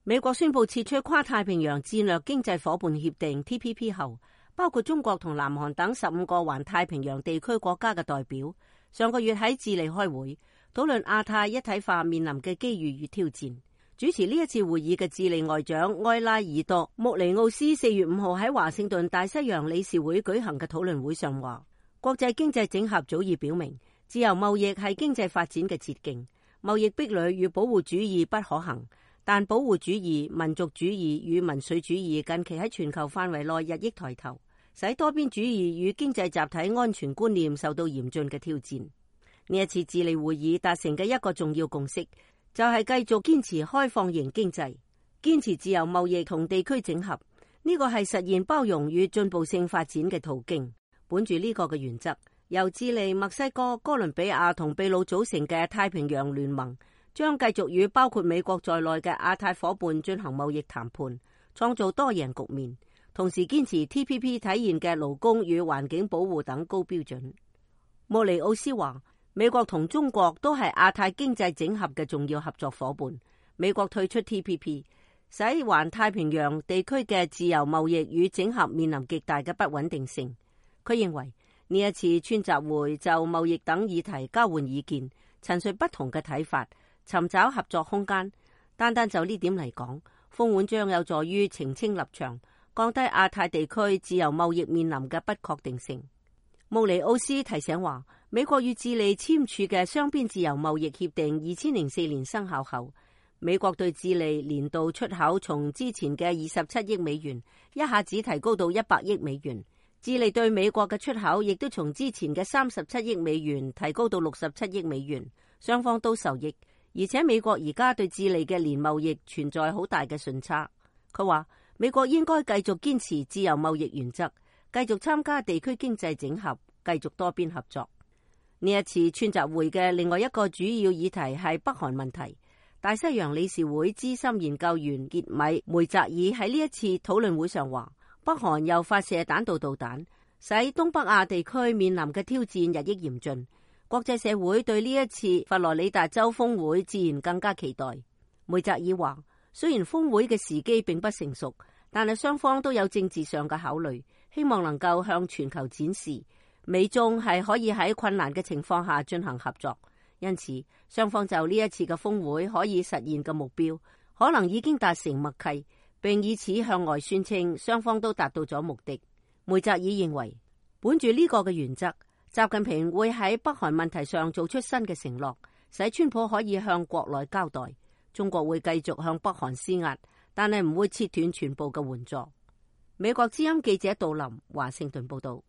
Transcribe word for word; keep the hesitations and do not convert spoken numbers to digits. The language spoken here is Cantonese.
美國宣布撤出跨太平洋戰略經濟夥伴協定 T P P 後，包括中國同南韓等十五個環太平洋地區國家嘅代表，上個月喺智利開會，討論亞太一體化面臨嘅機遇與挑戰。主持呢一次會議嘅智利外長埃拉爾多穆尼奧斯四月五號喺華盛頓大西洋理事會舉行嘅討論會上話，國際經濟整合早已表明，自由貿易係經濟發展嘅捷徑，貿易壁壘與保護主義不可行，但保護主義、民族主義與民粹主義近期喺全球範圍內日益抬頭，使多邊主義與經濟集體安全觀念受到嚴峻嘅挑戰。呢一次智利會議達成嘅一個重要共識，就係繼續堅持開放型經濟，堅持自由貿易同地區整合，呢個係實現包容與進步性發展嘅途徑。本住呢個嘅原則，由智利、墨西哥、哥倫比亞同秘魯組成嘅太平洋聯盟將繼續與包括美國在內嘅亞太夥伴進行貿易談判，創造多贏局面，同時堅持 T P P 體現嘅勞工與環境保護等高標準。穆尼奧斯話，美國同中國都係亞太經濟整合嘅重要合作夥伴。美國退出 T P P， 使環太平洋地區嘅自由貿易與整合面臨極大嘅不穩定性。佢認為呢一次川習會就貿易等議題交換意見，陳述不同嘅睇法，尋找合作空間。單單就呢點嚟講，峰會將有助於澄清立場，降低亞太地區自由貿易面臨嘅不確定性。穆尼奧斯提醒話，美國與智利簽署嘅雙邊自由貿易協定二千零四年生效後，美國對智利年度出口從之前嘅二十七億美元一下子提高到一百億美元，智利對美國嘅出口亦都從之前嘅三十七億美元提高到六十七億美元，雙方都受益。而且美國而家對智利嘅年貿易存在好大嘅順差。佢話美國應該繼續堅持自由貿易原則，繼續參加地區經濟整合，繼續多邊合作。呢一次川習會嘅另外一個主要議題係北韓問題。大西洋理事會資深研究員傑米梅澤爾喺呢一次討論會上話，北韓又發射彈道導彈，使東北亞地區面臨嘅挑戰日益嚴峻。國際社會對呢一次佛羅里達州峰會自然更加期待。梅澤爾話，雖然峰會嘅時機並不成熟，但係雙方都有政治上嘅考慮，希望能夠向全球展示美中係可以喺困難嘅情況下進行合作。因此，雙方就呢一次嘅峰會可以實現嘅目標，可能已經達成默契，並以此向外宣稱雙方都達到咗目的。梅澤爾認為，本住呢個嘅原則，習近平會喺北韓問題上做出新嘅承諾，使川普可以向國內交代。中國會繼續向北韓施壓，但係唔會切斷全部嘅援助。美國之音記者杜林華盛頓報道。